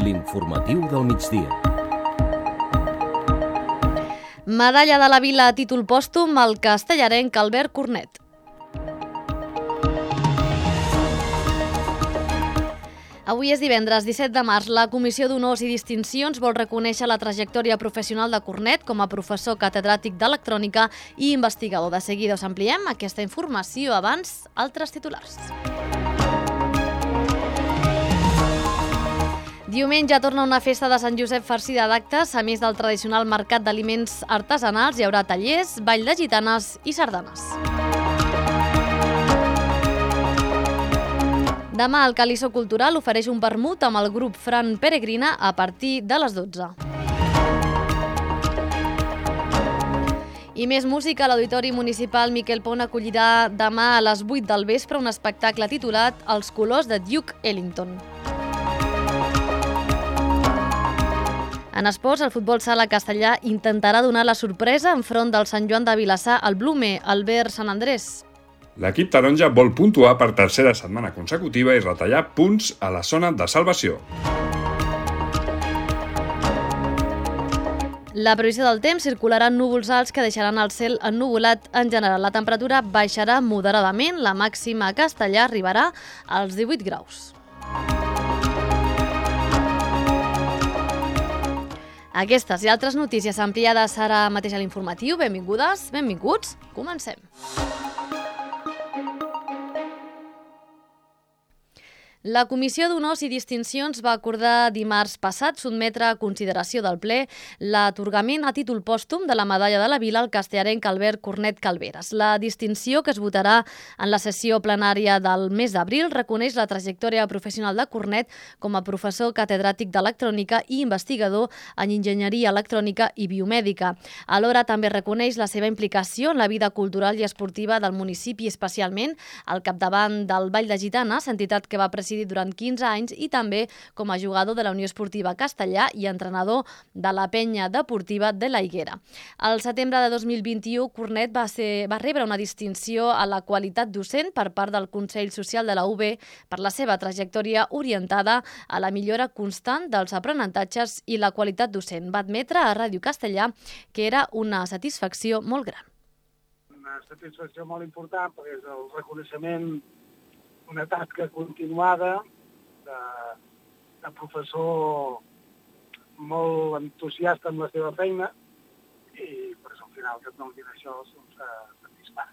L'informatiu del migdia. Medalla de la Vila a títol pòstum al castellarenc Albert Cornet. Avui és divendres 17 de març. La Comissió d'Honors i Distincions vol reconèixer la trajectòria professional de Cornet com a professor catedràtic d'electrònica i investigador. De seguida us ampliem aquesta informació. Abans, altres titulars. Diumenge torna una festa de Sant Josep farcida d'actes. A més del tradicional mercat d'aliments artesanals, hi haurà tallers, ball de gitanes i sardanes. Demà el Calisso Cultural ofereix un vermut amb el grup Fran Peregrina a partir de les 12. I més música. L'Auditori Municipal Miquel Pont acollirà demà a les 8 del vespre un espectacle titulat Els colors de Duke Ellington. En esports, el futbol sala castellà intentarà donar la sorpresa enfront del Sant Joan de Vilassar al Blume, Albert Sant Andrés. L'equip taronja vol puntuar per tercera setmana consecutiva i retallar punts a la zona de salvació. La previsió del temps: circularan núvols alts que deixaran el cel ennuvolat en general. La temperatura baixarà moderadament, la màxima a Castellà arribarà als 18 graus. Aquestes i altres notícies ampliades ara mateix a l'informatiu. Benvingudes, benvinguts, comencem. La Comissió d'Honors i Distincions va acordar dimarts passat sotmetre a consideració del ple l'atorgament a títol pòstum de la Medalla de la Vila al castellarenc Albert Cornet Calveras. La distinció, que es votarà en la sessió plenària del mes d'abril, reconeix la trajectòria professional de Cornet com a professor catedràtic d'electrònica i investigador en enginyeria electrònica i biomèdica. Alhora també reconeix la seva implicació en la vida cultural i esportiva del municipi, especialment al capdavant del Ball de Gitanes, entitat que va presidir durant 15 anys, i també com a jugador de la Unió Esportiva Castellà i entrenador de la Penya Deportiva de la Higuera. Al setembre de 2021, Cornet va rebre una distinció a la qualitat docent per part del Consell Social de la UB per la seva trajectòria orientada a la millora constant dels aprenentatges i la qualitat docent. Va admetre a Ràdio Castellà que era una satisfacció molt gran. Una satisfacció molt important perquè és el reconeixement, una tasca continuada de professor molt entusiasta amb la seva feina, i per això al final que et donin això satisfà.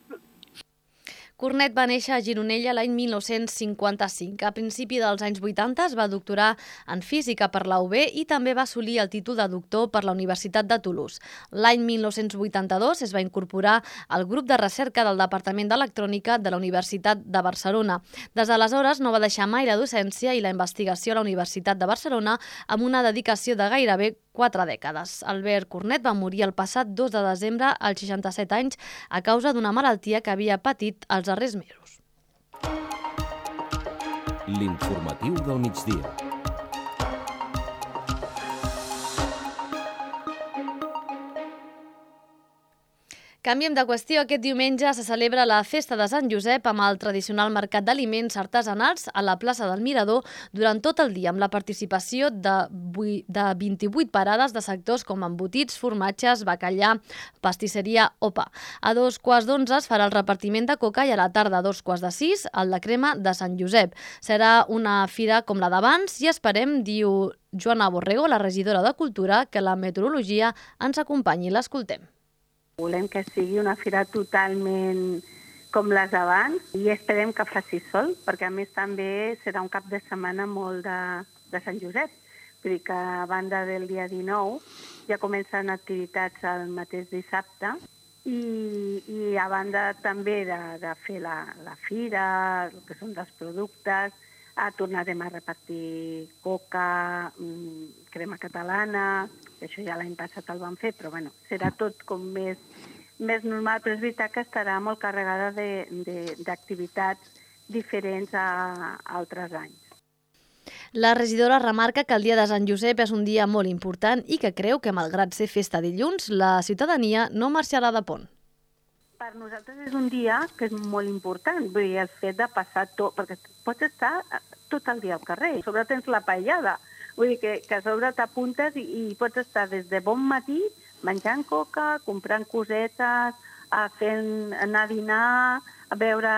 Cornet va néixer a Gironella l'any 1955. A principi dels anys 80 es va doctorar en física per la UB i també va assolir el títol de doctor per la Universitat de Toulouse. L'any 1982 es va incorporar al grup de recerca del Departament d'Electrònica de la Universitat de Barcelona. Des d'aleshores no va deixar mai la docència i la investigació a la Universitat de Barcelona, amb una dedicació de gairebé 4 dècades. Albert Cornet va morir el passat 2 de desembre als 67 anys a causa d'una malaltia que havia patit els darrers mesos. L'informatiu del migdia. Canviem de qüestió. Aquest diumenge se celebra la Festa de Sant Josep amb el tradicional mercat d'aliments artesanals a la plaça del Mirador durant tot el dia, amb la participació de 28 parades de sectors com embotits, formatges, bacallà, pastisseria o pa. A 2:15 es farà el repartiment de coca i a la tarda a 2:45 el de crema de Sant Josep. Serà una fira com la d'abans i esperem, diu Joana Borrego, la regidora de Cultura, que la meteorologia ens acompanyi. L'escoltem. Volem que sigui una fira totalment com les d'abans i esperem que faci sol, perquè a més també serà un cap de setmana molt de Sant Josep. Vull dir que a banda del dia 19 ja comencen activitats el mateix dissabte i a banda també de fer la fira, el que són dels productes, tornarem a repartir coca, crema catalana, això ja l'any passat el vam fer, però bueno, serà tot com més normal, però és veritat que estarà molt carregada d'activitats diferents a altres anys. La regidora remarca que el dia de Sant Josep és un dia molt important i que creu que, malgrat ser festa dilluns, la ciutadania no marxarà de pont. Per nosaltres és un dia que és molt important, vull dir, el fet de passar tot, perquè pots estar tot el dia al carrer. Sobre tens la paellada, Vull dir que a sobre t'apuntes i pots estar des de bon matí menjant coca, comprant cosetes, anar a dinar, a veure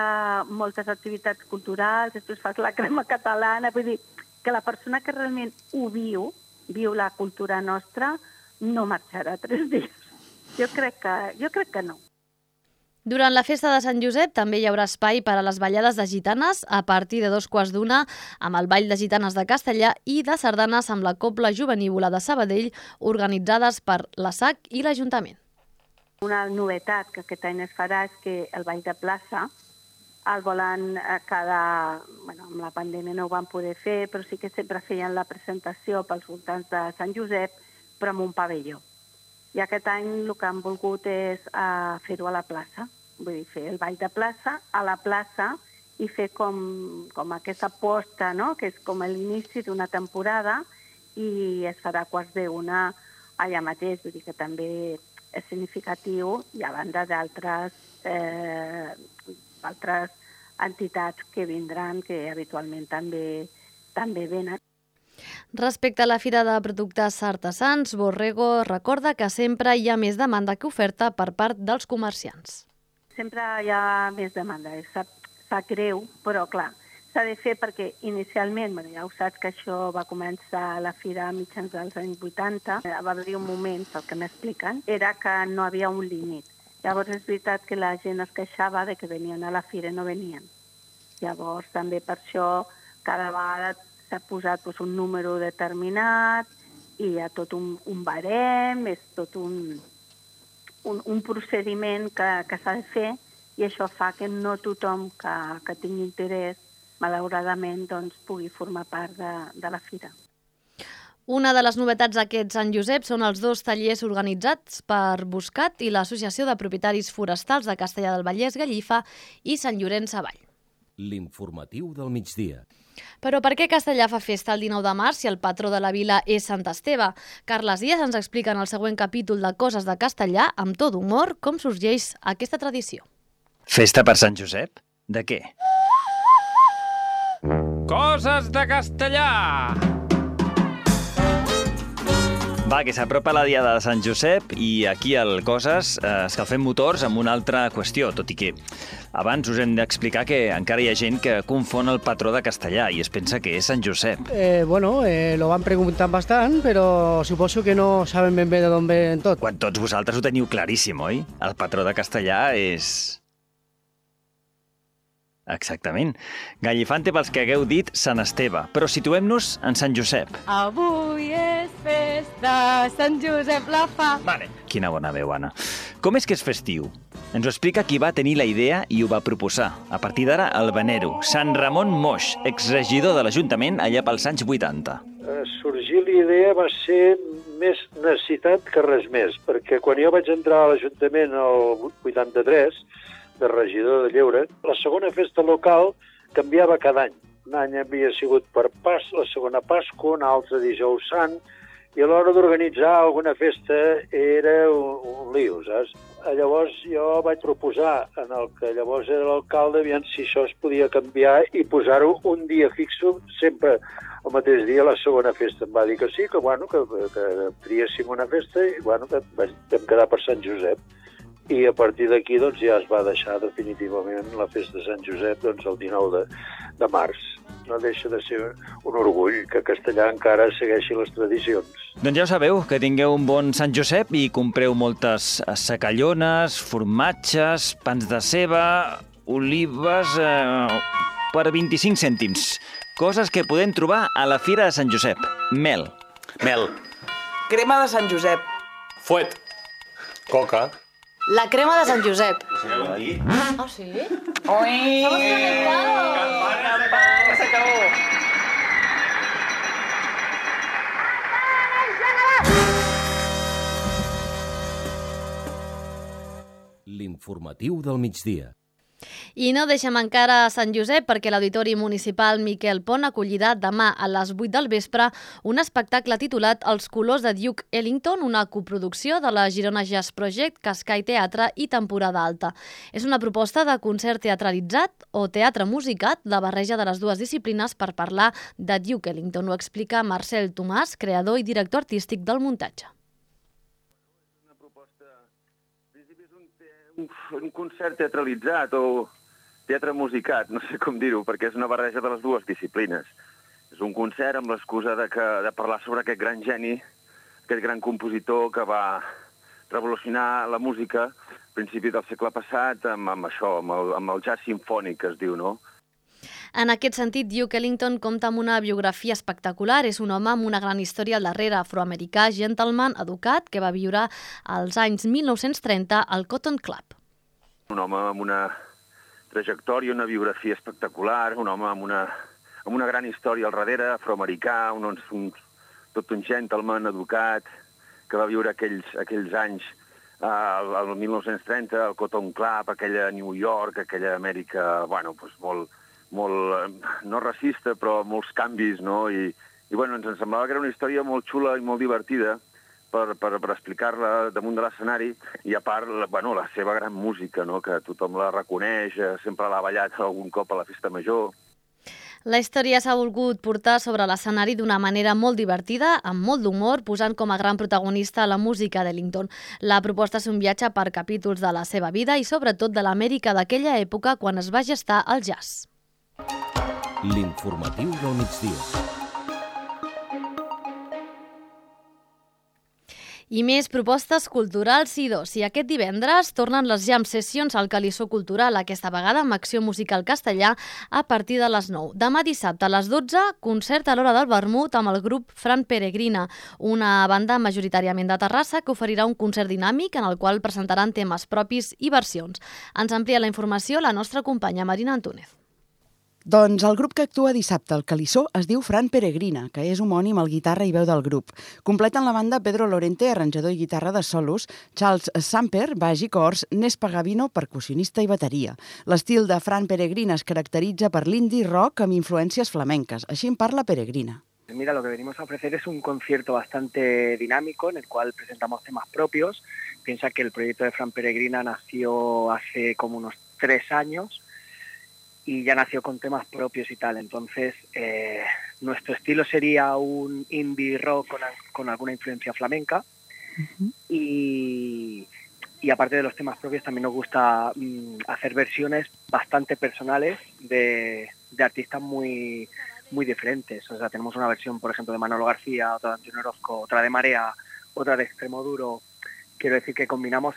moltes activitats culturals, després fas la crema catalana. Vull dir que la persona que realment ho viu la cultura nostra, no marxarà 3 dies. Jo crec que no. Durant la festa de Sant Josep també hi haurà espai per a les ballades de gitanes a partir de 2:15 amb el Ball de Gitanes de Castellà i de sardanes amb la Cobla Jovenívola de Sabadell organitzades per la SAC i l'Ajuntament. Una novetat que aquest any es farà és que el Ball de Plaça el volen amb la pandèmia no ho van poder fer, però sí que sempre feien la presentació pels voltants de Sant Josep, però amb un pavelló. I aquest any el que han volgut és fer-ho a la plaça, vull dir, fer el Ball de Plaça a la plaça i fer com aquesta aposta, no?, que és com l'inici d'una temporada i es farà a 12:15 allà mateix, vull dir que també és significatiu i a banda d'altres entitats que vindran, que habitualment també venen. Respecte a la Fira de Productes Artesans, Borrego recorda que sempre hi ha més demanda que oferta per part dels comerciants. Sempre hi ha més demanda, sap greu, però clar, s'ha de fer perquè inicialment, ja ho saps que això va començar a la Fira a mitjans dels anys 80, va haver un moment, pel que m'expliquen, era que no havia un límit. Llavors és veritat que la gent es queixava de que venien a la Fira i no venien. Llavors també per això cada vegada s'ha posat un número determinat i hi ha tot un barem, és tot un procediment que s'ha de fer i això fa que no tothom que tingui interès, malauradament, pugui formar part de la Fira. Una de les novetats d'aquest Sant Josep són els 2 tallers organitzats per Buscat i l'Associació de Propietaris Forestals de Castellar del Vallès, Gallifa i Sant Llorenç Savall. L'informatiu del migdia. Però per què Castellar fa festa el 19 de març si el patró de la vila és Sant Esteve? Carles Díaz ens explica en el següent capítol de Coses de Castellar, amb tot humor, com sorgeix aquesta tradició. Festa per Sant Josep? De què? Coses de Castellar! Va, que s'apropa la diada de Sant Josep i aquí al Coses escalfem motors amb una altra qüestió, tot i que abans us hem d'explicar que encara hi ha gent que confon el patró de Castellar i es pensa que és Sant Josep. Lo van preguntant bastant, però suposo que no saben ben bé d'on ven tot. Quan tots vosaltres ho teniu claríssim, oi? El patró de Castellar és... Exactament. Gallifante pels que hagueu dit Sant Esteve, però situem-nos en Sant Josep. Avui és festa, Sant Josep la fa. Vale. Quina bona veu, Anna. Com és que és festiu? Ens ho explica qui va tenir la idea i ho va proposar. A partir d'ara, el venero, Sant Ramon Moix, exregidor de l'Ajuntament allà pels anys 80. Sorgir l'idea va ser més necessitat que res més, perquè quan jo vaig entrar a l'Ajuntament el 83, de regidor de Lleure, la segona festa local canviava cada any. Un any havia sigut per la segona Pasqua, un altre Dijous Sant, i a l'hora d'organitzar alguna festa era un lío, saps? Llavors jo vaig proposar en el que llavors era l'alcalde aviam si això es podia canviar i posar-ho un dia fixo, sempre el mateix dia, la segona festa. Em va dir que sí, que triéssim una festa i que vam quedar per Sant Josep. I a partir d'aquí ja es va deixar definitivament la festa de Sant Josep el 19 de març. No deixa de ser un orgull que Castellar encara segueixi les tradicions. Doncs ja ho sabeu, que tingueu un bon Sant Josep i compreu moltes secallones, formatges, pans de ceba, olives per 25 cèntims. Coses que podem trobar a la Fira de Sant Josep. Mel. Crema de Sant Josep. Fuet. Coca. La crema de Sant Josep. Ah, sí? Ui! Campana, que s'acabó! L'informatiu del migdia. I no deixem encara Sant Josep perquè l'Auditori Municipal Miquel Pont acollirà demà a les 8 del vespre un espectacle titulat Els colors de Duke Ellington, una coproducció de la Girona Jazz Project, Cascai Teatre i Temporada Alta. És una proposta de concert teatralitzat o teatre musicat, la barreja de les dues disciplines per parlar de Duke Ellington. Ho explica Marcel Tomàs, creador i director artístic del muntatge. Una proposta, en principi és un concert teatralitzat o teatre musicat, no sé com dir-ho, perquè és una barreja de les dues disciplines. És un concert amb l'excusa de parlar sobre aquest gran geni, aquest gran compositor que va revolucionar la música a principi del segle passat amb això, amb el jazz simfònic, que es diu, no? En aquest sentit, Duke Ellington compta amb una biografia espectacular. És un home amb una gran història al darrere, afroamericà, gentleman, educat, que va viure als anys 1930 al Cotton Club. Un home amb una trajectòria, una biografia espectacular, un home amb una gran història al darrere, afroamericà, tot un gentleman educat, que va viure aquells anys al 1930, al Cotton Club, aquella New York, aquella Amèrica, bueno, doncs molt, no racista, però molts canvis, no? I bueno, ens semblava que era una història molt xula i molt divertida per explicar-la damunt de l'escenari, i a part, bueno, la seva gran música, no? Que tothom la reconeix, sempre l'ha ballat algun cop a la festa major. La història s'ha volgut portar sobre l'escenari d'una manera molt divertida, amb molt d'humor, posant com a gran protagonista la música d'Ellington. La proposta és un viatge per capítols de la seva vida i sobretot de l'Amèrica d'aquella època quan es va gestar el jazz. L'informatiu del migdia. I més propostes culturals i d'oci. Aquest divendres tornen les jam sessions al Calissó Cultural, aquesta vegada amb acció musical castellà a partir de les 9. Demà dissabte a les 12, concert a l'hora del vermut amb el grup Fran Peregrina, una banda majoritàriament de Terrassa que oferirà un concert dinàmic en el qual presentaran temes propis i versions. Ens amplia la informació la nostra companya Marina Antúnez. Doncs el grup que actua dissabte al Calissó es diu Fran Peregrina, que és homònim al guitarra i veu del grup. Completen la banda Pedro Lorente, arranjador i guitarra de solos, Charles Samper, baix i cors, Nes Pagavino, percussionista i bateria. L'estil de Fran Peregrina es caracteritza per l'indie rock amb influències flamenques. Així en parla Peregrina. Mira, lo que venimos a ofrecer es un concierto bastante dinámico en el cual presentamos temas propios. Piensa que el proyecto de Fran Peregrina nació hace como unos 3 años y ya nació con temas propios y tal. Entonces, nuestro estilo sería un indie rock con alguna influencia flamenca. Uh-huh. Y aparte de los temas propios, también nos gusta hacer versiones bastante personales de artistas muy diferentes. O sea, tenemos una versión, por ejemplo, de Manolo García, otra de Antonio Orozco, otra de Marea, otra de Extremoduro. Quiero decir que combinamos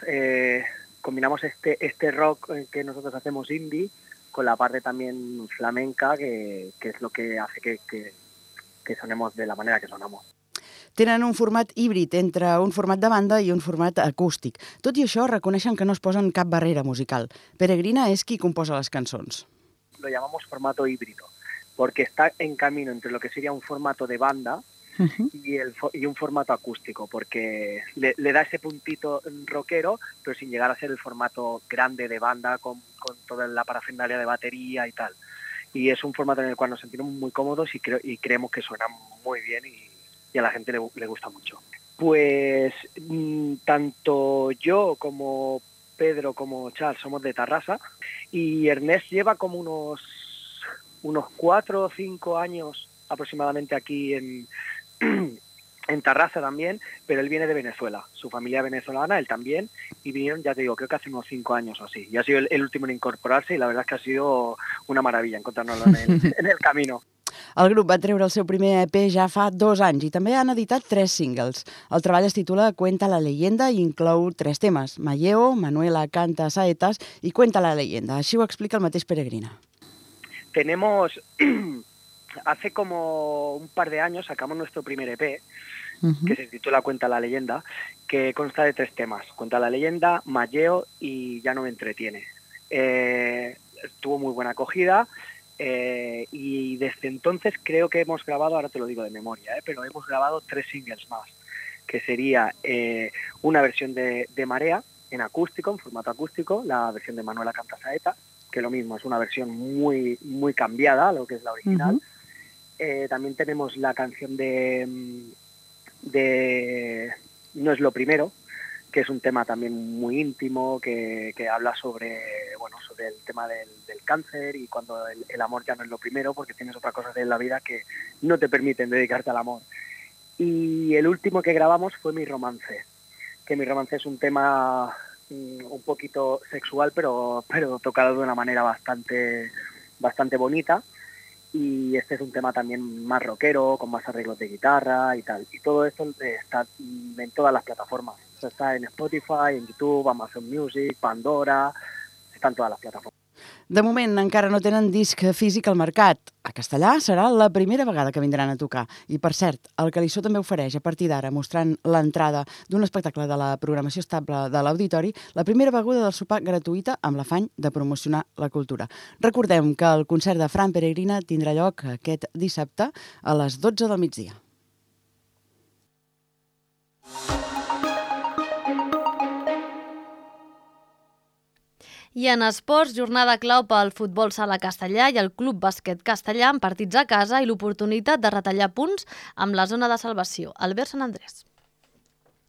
este rock que nosotros hacemos indie con la parte también flamenca, que es lo que hace que sonemos de la manera que sonamos. Tenen un format híbrid entre un format de banda i un format acústic. Tot i això, reconeixen que no es posen cap barrera musical. Peregrina és qui composa les cançons. Lo llamamos formato híbrido, porque está en camino entre lo que sería un formato de banda uh-huh. y un formato acústico, porque le da ese puntito rockero, pero sin llegar a ser el formato grande de banda con toda la parafernalia de batería y tal. Y es un formato en el cual nos sentimos muy cómodos y creemos que suena muy bien y a la gente le gusta mucho. Pues tanto yo como Pedro como Charles somos de Tarrasa y Ernest lleva como unos 4 o 5 años aproximadamente aquí en Tarrasa también, pero él viene de Venezuela, su familia venezolana, él también, y vinieron, ya te digo, creo que hace unos 5 años o así. Y ha sido el último en incorporarse y la verdad es que ha sido una maravilla encontrarnos en el camino. El grup va treure el seu primer EP ja fa 2 anys i també han editat 3 singles. El treball es titula Cuenta la leyenda i inclou 3 temes: Malleo, Manuela canta saetas i Cuenta la leyenda. Així ho explica el mateix Peregrina. Tenemos... Hace como un par de años sacamos nuestro primer EP, uh-huh. que se titula Cuenta la leyenda, que consta de 3 temas: Cuenta la leyenda, Malleo y Ya no me entretiene. Tuvo muy buena acogida y desde entonces creo que hemos grabado, ahora te lo digo de memoria, pero hemos grabado 3 singles más, que sería una versión de Marea en acústico, en formato acústico, la versión de Manuela canta saetas, que lo mismo, es una versión muy, muy cambiada a lo que es la original. También tenemos la canción de No es lo primero, que es un tema también muy íntimo, que habla sobre el tema del cáncer y cuando el amor ya no es lo primero, porque tienes otras cosas en la vida que no te permiten dedicarte al amor. Y el último que grabamos fue Mi Romance, que Mi Romance es un tema un poquito sexual, pero tocado de una manera bastante bonita. Y este es un tema también más rockero, con más arreglos de guitarra y tal. Y todo esto está en todas las plataformas. O sea, está en Spotify, en YouTube, Amazon Music, Pandora, està en totes les plataformes. De moment encara no tenen disc físic al mercat. A Castellà serà la primera vegada que vindran a tocar. I, per cert, el Calissó també ofereix a partir d'ara, mostrant l'entrada d'un espectacle de la programació estable de l'Auditori, la primera beguda del sopar gratuïta amb l'afany de promocionar la cultura. Recordem que el concert de Fran Peregrina tindrà lloc aquest dissabte a les 12 del migdia. I en esports, jornada clau pel futbol sala castellà i el Club Bàsquet Castellà amb partits a casa i l'oportunitat de retallar punts amb la zona de salvació. Albert Sant Andrés.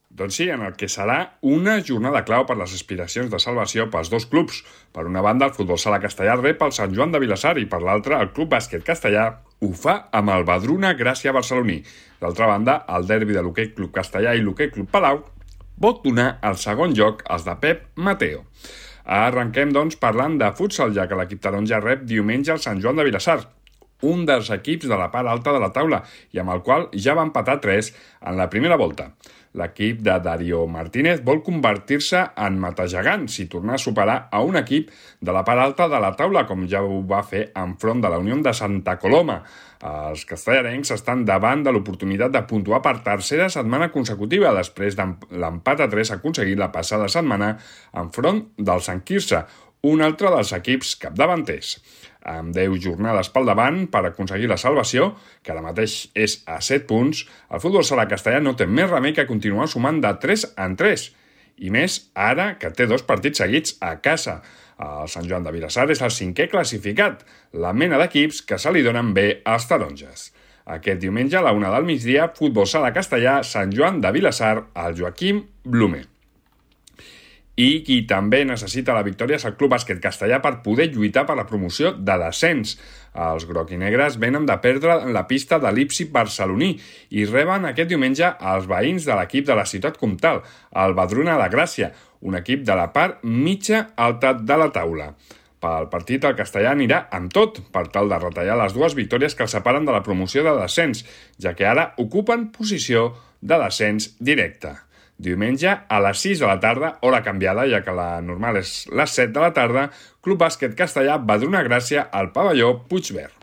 Doncs sí, en el que serà una jornada clau per les aspiracions de salvació pels dos clubs. Per una banda, el futbol sala castellà rep el Sant Joan de Vilassar i per l'altra, el Club Bàsquet Castellà ho fa amb el Badruna Gràcia barceloní. D'altra banda, el derbi de l'Hoquei Club Castellà i l'Hoquei Club Palau pot donar el segon lloc als de Pep Mateo. Arrenquem, doncs, parlant de futsal, ja que l'equip taronja rep diumenge el Sant Joan de Vilassar, un dels equips de la part alta de la taula i amb el qual ja va empatar 3 en la primera volta. L'equip de Darío Martínez vol convertir-se en matagegants i tornar a superar a un equip de la part alta de la taula, com ja ho va fer enfront de la Unió de Santa Coloma. Els castellarencs estan davant de l'oportunitat de puntuar per tercera setmana consecutiva després de l'empat a 3 aconseguit la passada setmana enfront del Sant Quirze, un altre dels equips capdavanters. Amb 10 jornades pel davant per aconseguir la salvació, que ara mateix és a 7 punts, el futbol sala castellà no té més remei que continuar sumant de 3 en 3. I més ara que té 2 partits seguits a casa. El Sant Joan de Vilassar és el 5è classificat, la mena d'equips que se li donen bé als taronges. Aquest diumenge a la 1 del migdia, futbol sala castellà, Sant Joan de Vilassar, al Joaquim Blume. I qui també necessita la victòria és el Club Bàsquet Castellà per poder lluitar per la promoció de descens. Els groc-i-negres venen de perdre la pista de l'Ipsip barceloní i reben aquest diumenge els veïns de l'equip de la ciutat comtal, el Badruna de Gràcia, un equip de la part mitja alta de la taula. Pel partit, el castellà anirà amb tot per tal de retallar les 2 victòries que el separen de la promoció de descens, ja que ara ocupen posició de descens directe. Diumenge a les 6 de la tarda, hora canviada, ja que la normal és les 7 de la tarda, Club Bàsquet Castellà Badruna Gràcia al pavelló Puigverd.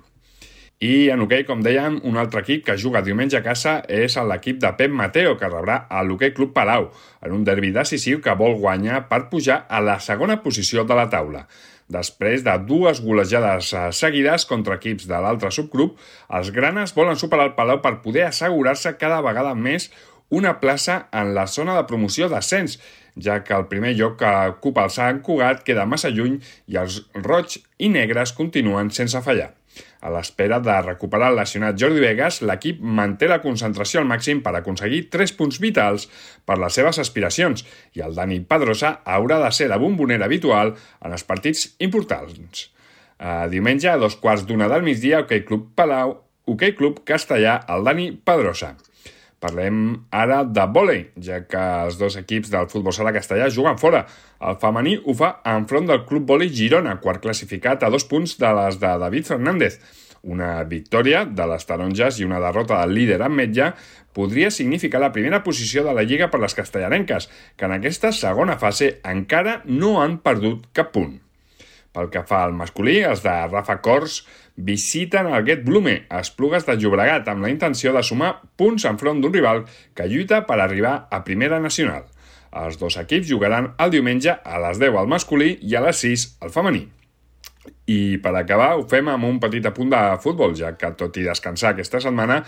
I en hoquei, com dèiem, un altre equip que juga diumenge a casa és l'equip de Pep Mateo, que rebrà l'Hoquei Club Palau, en un derbi decisiu que vol guanyar per pujar a la segona posició de la taula. Després de 2 golejades seguides contra equips de l'altre subgrup, els granes volen superar el Palau per poder assegurar-se cada vegada més una plaça en la zona de promoció d'ascens, ja que el primer lloc que ocupa el Sant Cugat queda massa lluny i els roig i negres continuen sense fallar. A l'espera de recuperar el lesionat Jordi Vegas, l'equip manté la concentració al màxim per aconseguir 3 punts vitals per les seves aspiracions i el Dani Pedrosa haurà de ser la bombonera habitual en els partits importants. Diumenge a 2:15 del migdia, Hoquei Club Palau, Hoquei Club Castellà, el Dani Pedrosa. Parlem ara de vòlei, ja que els 2 equips del futbol sala castellà juguen fora. El femení ho fa enfront del Club Vòlei Girona, quart classificat a 2 punts de les de David Fernández. Una victòria de les taronges i una derrota del líder ametlla podria significar la primera posició de la Lliga per les castellarenques, que en aquesta segona fase encara no han perdut cap punt. Pel que fa al masculí, els de Rafa Cors visiten el Get Blume, a Esplugues de Llobregat, amb la intenció de sumar punts enfront d'un rival que lluita per arribar a Primera Nacional. Els 2 equips jugaran el diumenge a les 10 al masculí i a les 6 al femení. I per acabar ho fem amb un petit apunt de futbol, ja que tot i descansar aquesta setmana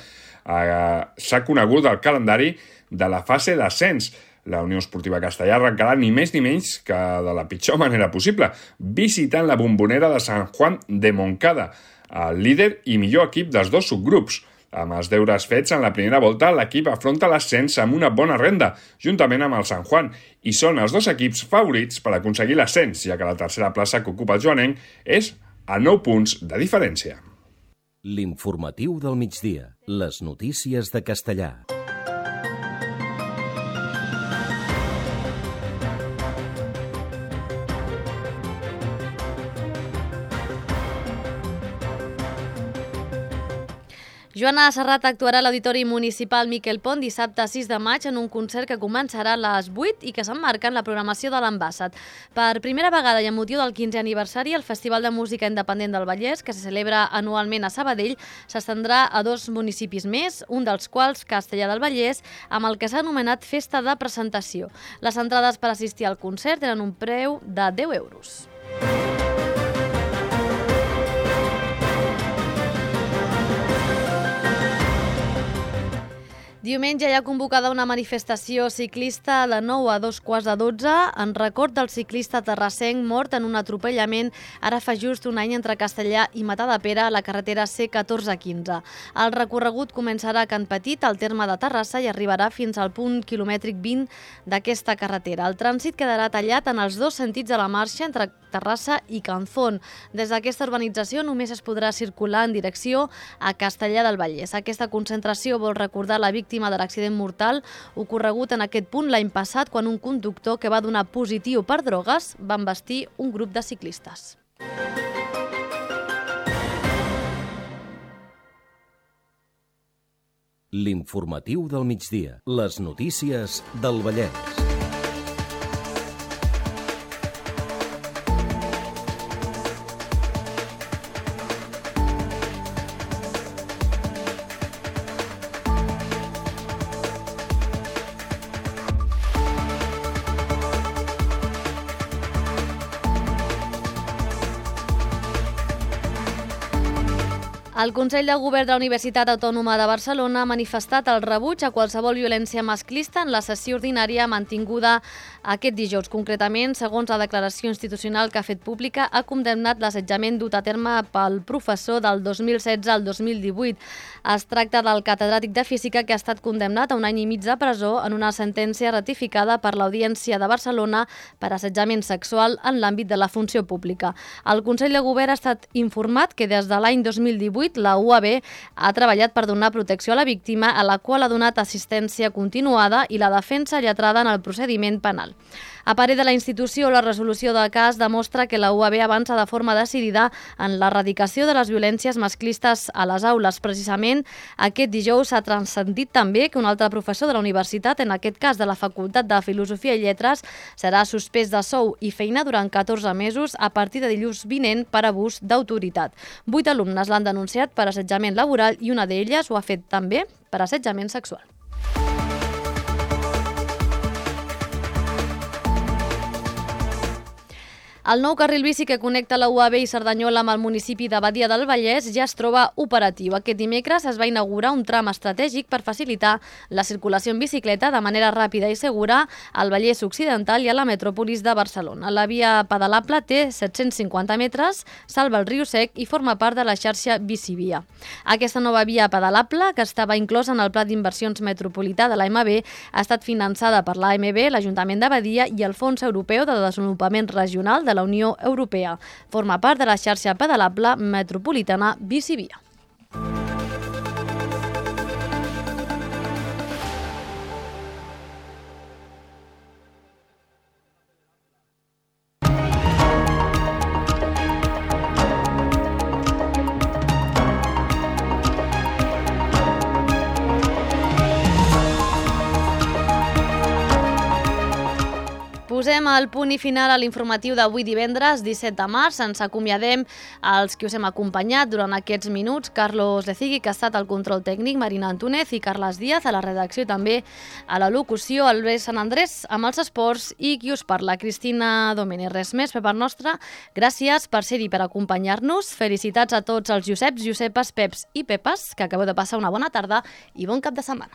s'ha conegut el calendari de la fase d'ascens. La Unió Esportiva Castellà arrencarà ni més ni menys que de la pitjor manera possible, visitant la Bombonera de Sant Juan de Moncada, el líder i millor equip dels dos subgrups. Amb els deures fets en la primera volta, l'equip afronta l'ascens amb una bona renda, juntament amb el Sant Juan, i són els dos equips favorits per aconseguir l'ascens, ja que la tercera plaça que ocupa el joanenc és a 9 punts de diferència. L'informatiu del migdia. Les notícies de Castellà. Joana Serrat actuarà a l'Auditori Municipal Miquel Pont dissabte 6 de maig en un concert que començarà a les 8 i que s'emmarca en la programació de l'Ambassat. Per primera vegada i amb motiu del 15è aniversari, el Festival de Música Independent del Vallès, que se celebra anualment a Sabadell, s'estendrà a 2 municipis més, un dels quals Castellar del Vallès, amb el que s'ha anomenat Festa de Presentació. Les entrades per assistir al concert tenen un preu de 10 euros. Diumenge hi ha convocada una manifestació ciclista de 9 a 2:15 en record del ciclista terrassenc mort en un atropellament ara fa just un any entre Castellar i Matadepera a la carretera C1415. El recorregut començarà a Can Petit, al terme de Terrassa, i arribarà fins al punt quilomètric 20 d'aquesta carretera. El trànsit quedarà tallat en els dos sentits de la marxa entre Terrassa i Canzón. Des d'aquesta urbanització només es podrà circular en direcció a Castellar del Vallès. Aquesta concentració vol recordar la víctima de l'accident mortal ocorregut en aquest punt l'any passat quan un conductor que va donar positiu per drogues va embestir un grup de ciclistes. L'informatiu del migdia. Les notícies del Vallès. El Consell de Govern de la Universitat Autònoma de Barcelona ha manifestat el rebuig a qualsevol violència masclista en la sessió ordinària mantinguda aquest dijous. Concretament, segons la declaració institucional que ha fet pública, ha condemnat l'assetjament dut a terme pel professor del 2016 al 2018. Es tracta del catedràtic de Física que ha estat condemnat a un any i mig de presó en una sentència ratificada per l'Audiència de Barcelona per assetjament sexual en l'àmbit de la funció pública. El Consell de Govern ha estat informat que des de l'any 2018 la UAB ha treballat per donar protecció a la víctima, a la qual ha donat assistència continuada i la defensa lletrada en el procediment penal. A parer de la institució, la resolució del cas demostra que la UAB avança de forma decidida en l'erradicació de les violències masclistes a les aules. Precisament, aquest dijous s'ha transcendit també que un altre professor de la universitat, en aquest cas de la Facultat de Filosofia i Lletres, serà suspès de sou i feina durant 14 mesos a partir de dilluns vinent per abús d'autoritat. 8 alumnes l'han denunciat per assetjament laboral i una d'elles ho ha fet també per assetjament sexual. El nou carril bici que connecta la UAB i Cerdanyola amb el municipi de Badia del Vallès ja es troba operatiu. Aquest dimecres es va inaugurar un tram estratègic per facilitar la circulació en bicicleta de manera ràpida i segura al Vallès Occidental i a la metròpolis de Barcelona. La via pedalable té 750 metres, salva el riu Sec i forma part de la xarxa Bicivia. Aquesta nova via pedalable, que estava inclosa en el Pla d'Inversions Metropolità de l'AMB, ha estat finançada per l'AMB, l'Ajuntament de Badia i el Fons Europeu de Desenvolupament Regional de la Unió Europea. Forma part de la xarxa pedalable metropolitana Bicivia. Posem el punt i final a l'informatiu d'avui divendres, 17 de març. Ens acomiadem als que us hem acompanyat durant aquests minuts. Carlos Lecigui, que ha estat al control tècnic, Marina Antúnez i Carles Díaz a la redacció i també a la locució, Albert Sant Andrés amb els esports i qui us parla, Cristina Domènech. Res més per part nostra. Gràcies per ser-hi, per acompanyar-nos. Felicitats a tots els Joseps, Josepes, Peps i Pepes, que acabeu de passar una bona tarda i bon cap de setmana.